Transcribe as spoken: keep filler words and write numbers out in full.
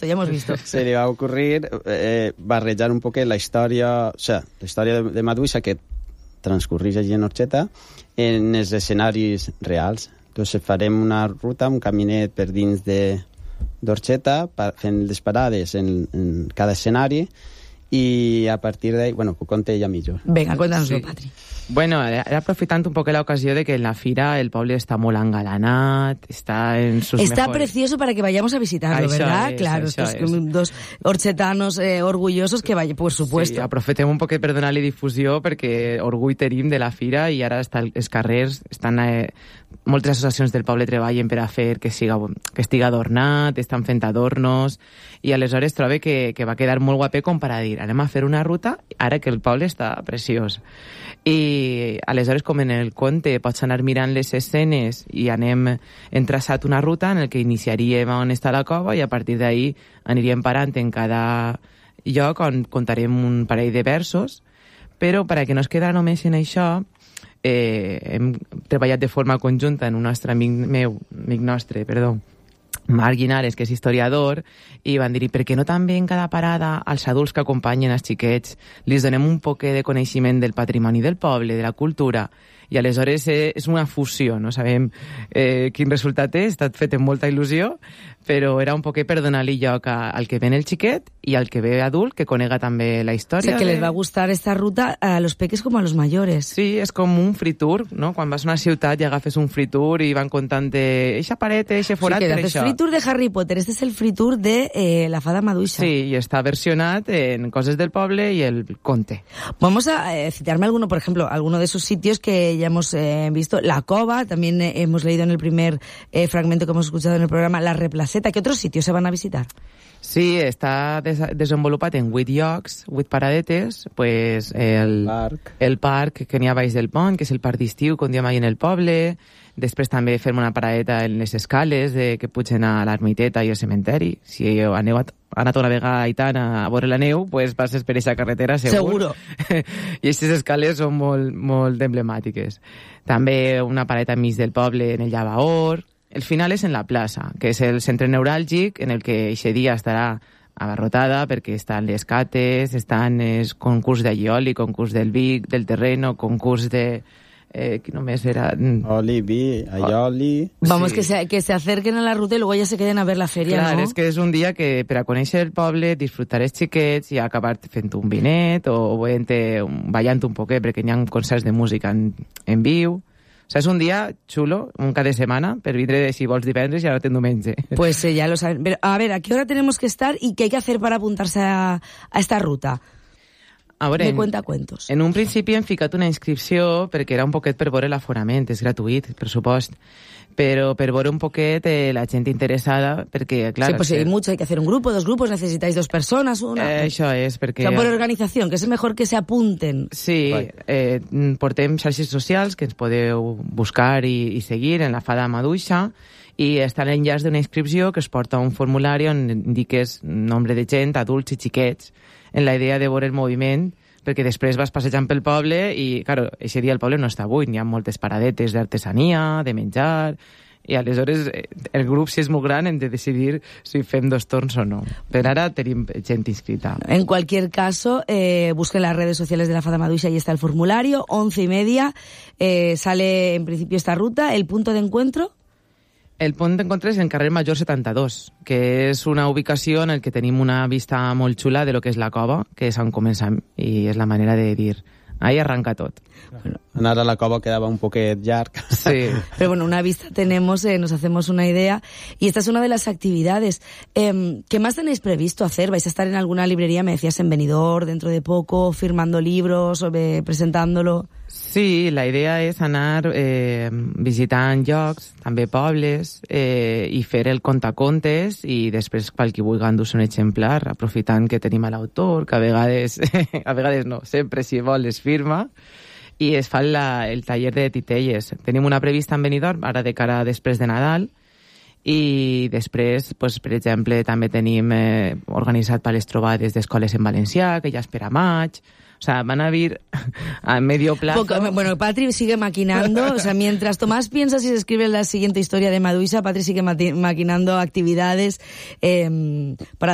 visto, ya hemos visto. Se li va ocurrir eh, barrejar un poquet la història, o sea, la història de, de Maduixa que transcorreix allí en Orxeta en els escenaris reals. Entonces farem una ruta, un caminet per dins de d'Orxeta, fent les parades en, en cada escenari, i a partir d'ahí, bueno, ho conté ella millor. Venga, cuéntanoslo, sí. Patri. Bueno, era aprofitant un poco la ocasión de que en la fira el poble està molt engalanat, está en sus Está mejores... precioso para que vayamos a visitarlo, això ¿verdad? És, claro, estos es. dos orxetanos eh, orgullosos que vayan, por supuesto. Sí, aprofitem un poquet per donar-li difusió perquè orgull tenim de la fira i ara està, els carrers estan... Eh, moltes associacions del poble treballen per a fer que, siga, que estigui adornat, estan fent adornos, i aleshores trobe que, que va quedar molt guapé com per a dir, anem a fer una ruta ara que el poble està preciós. I aleshores, com en el conte, pots anar mirant les escenes i anem hem traçat una ruta en el que iniciaríem on està la cova i a partir d'ahí aniríem parant en cada lloc on contarem un parell de versos, però per a que no es quedara només en això, Eh, hem treballat de forma conjunta en un nostre amic meu, amic nostre, perdó, Marc Guinares, que és historiador, i van dir, per què no també en cada parada als adults que acompanyen els xiquets li donem un poquet de coneixement del patrimoni del poble, de la cultura, i aleshores eh, és una fusió, no sabem eh, quin resultat és, està fet amb molta il·lusió, però era un poquet per donar-li lloc a, al que ven el xiquet i al que ve adult, que conega també la història. O sea, que de... les va gustar esta ruta a los peques como a los mayores. Sí, és com un free tour, no? Quan vas a una ciutat i agafes un free tour i van contant eixa paret, eixe forat, sí, que per haces això. Free tour de Harry Potter, este es el free tour de eh, la Fada Maduixa. Sí, y está versionat en cosas del poble y el conte. Vamos a eh, citarme alguno, por ejemplo, alguno de esos sitios que ya hemos eh, visto. La Cova, también eh, hemos leído en el primer eh, fragmento que hemos escuchado en el programa, la Replaceta. ¿Qué otros sitios se van a visitar? Sí, està des desenvolupat en vuit llocs, vuit paradetes, pues el parc. el parc que n'hi ha baix del pont, que és el parc d'estiu, com diem ahí en el poble. Després també fem una paradeta en les escales de, que pugen a l'ermiteta i al cementeri. Si aneu a, anat una vegada a Aitana a veure la neu, pues passes per aquesta carretera, segur. Seguro. I aquestes escales són molt, molt emblemàtiques. També una paradeta enmig del poble en el Llavaor. El final és en la plaça, que és el centre neuràlgic en el que aquest dia estarà abarrotada perquè estan les cates, estan el concurs d'allioli, concurs del Vic, del terreno, concurs de... Eh, que només era... Oli, vi, aioli... Vamos, Sí. que, se, que se acerquen a la ruta y luego ya se queden a ver la feria, Clar, ¿no? és que és un dia que per a conèixer el poble, disfrutar els xiquets i acabar fent un vinet o veient, ballant un poquet perquè hi ha concerts de música en, en viu. O sea, és un dia xulo, un cada setmana, per vindre si vols divendres i ara ten diumenge. Pues eh, ya lo saben. Pero, a ver, ¿a qué hora tenemos que estar y qué hay que hacer para apuntarse a, a esta ruta? A veure, De cuentacuentos. En un principi hem ficat una inscripció perquè era un poquet per veure l'aforament, és gratuït, per supost, però per veure un poquet eh, la gent interessada, perquè, clar... Sí, pues si hay mucho, hay que hacer un grupo, dos grupos, necesitáis dos personas, una... Eh, això és, perquè... O sea, por organización, que es mejor que se apunten. Sí, eh, portem xarxes socials que ens podeu buscar i, i seguir en la Fada Maduixa, i està l'enllaç d'una inscripció que es porta a un formulari on indiques nombre de gent, adults i xiquets, en la idea de veure el moviment, perquè després vas passejant pel poble i, claro, aquest dia el poble no està buit, hi ha moltes paradetes d'artesania, de menjar, i aleshores el grup, si és molt gran, hem de decidir si fem dos torns o no. Per ara tenim gent inscrita. En cualquier caso, eh, busquen las redes sociales de la Fada Maduixa, ahí está el formulario, once y media, eh, sale en principio esta ruta, el punto de encuentro... El punt d'encontre és en carrer Major setanta-dos, que és una ubicació en el que tenim una vista molt xula de lo que és la cova, que és on comencem, i és la manera de dir, ahí arranca tot. Bueno, anar a la cova quedava un poquet llarg. Sí. Pero bueno, una vista tenemos, eh, nos hacemos una idea, y esta es una de las actividades. Eh, ¿Qué más tenéis previsto hacer? ¿Vais a estar en alguna librería, me decías, en Benidorm, dentro de poco, firmando libros, o eh, presentándolo? Sí, la idea és anar eh, visitant llocs, també pobles, eh, i fer el contacontes i després qualque vulgui endur-se un exemplar, aprofitant que tenim a l'autor, que a vegades, a vegades no, sempre si vol es firma, i es fa la, el taller de titelles. Tenim una prevista en Benidorm, ara de cara després de Nadal, i després, pues, per exemple, també tenim eh, organitzat per les trobades d'escoles en valencià, que ja és per a maig. O sea, van a vir a medio plazo. Poco, bueno, Patri sigue maquinando, o sea, mientras Tomás piensa si se escribe la siguiente historia de Maduixa, Patri sigue maquinando actividades eh, para